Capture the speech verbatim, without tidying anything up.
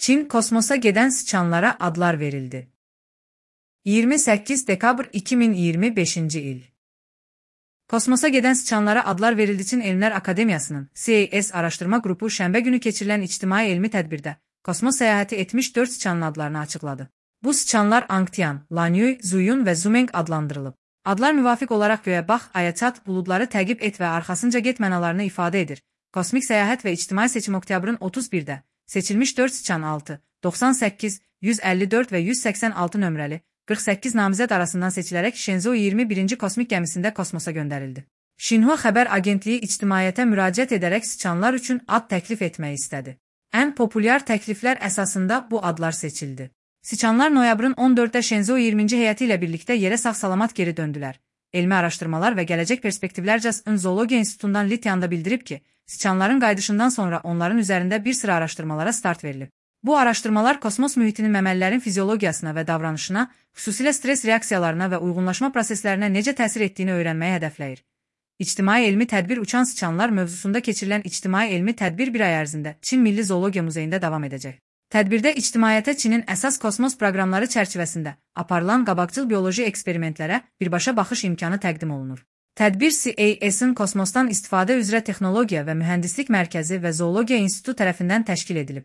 Çin kosmosa gedən sıçanlara adlar verildi. iyirmi səkkiz dekabr iki min iyirmi beşinci il. Kosmosa gedən sıçanlara adlar verildi. Çin Elmlər Akademiyasının C A S araşdırma qrupu şənbə günü keçirilən ictimai elmi tədbirdə kosmos səyahəti etmiş dörd sıçanın adlarını açıqladı. Bu sıçanlar Angtian, Lanyuy, Zuyun və Zumeng adlandırılıb. Adlar müvafiq olaraq göyə bax, aya çat, buludları təqib et və arxasınca get mənalarını ifadə edir. Kosmik səyahət və ictimai seçim oktyabrın otuz birdə seçilmiş dörd sıçan altı, doxsan səkkiz, yüz əlli dörd və yüz səksən altı nömrəli qırx səkkiz namizəd arasından seçilərək Shenzhou iyirmi birinci kosmik gəmisində kosmosa göndərildi. Xinhua xəbər agentliyi ictimaiyyətə müraciət edərək sıçanlar üçün ad təklif etmək istədi. Ən populyar təkliflər əsasında bu adlar seçildi. Sıçanlar noyabrın on dörddə Shenzhou iyirminci heyəti ilə birlikdə yerə sağ-salamat geri döndülər. Elmi araşdırmalar və gələcək perspektivlər Jason Zoologiya İnstitutundan Lityanda bildirib ki, sıçanların qayıdışından sonra onların üzərində bir sıra araşdırmalara start verilib. Bu araşdırmalar kosmos mühitinin məməlilərin fiziologiyasına və davranışına, xüsusilə stres reaksiyalarına və uyğunlaşma proseslərinə necə təsir etdiyini öyrənməyi hədəfləyir. İctimai elmi tədbir uçan sıçanlar mövzusunda keçirilən ictimai elmi tədbir bir ay ərzində Çin Milli Zoologiya Muzeyində davam edəcək. Tədbirdə ictimaiyyətə Çinin əsas kosmos proqramları çərçivəsində aparılan qabaqcıl bioloji eksperimentlərə birbaşa baxış imkanı təqdim olunur. Tədbir C A S-ın kosmosdan istifadə üzrə texnologiya və mühəndislik mərkəzi və Zoologiya İnstitutu tərəfindən təşkil edilib.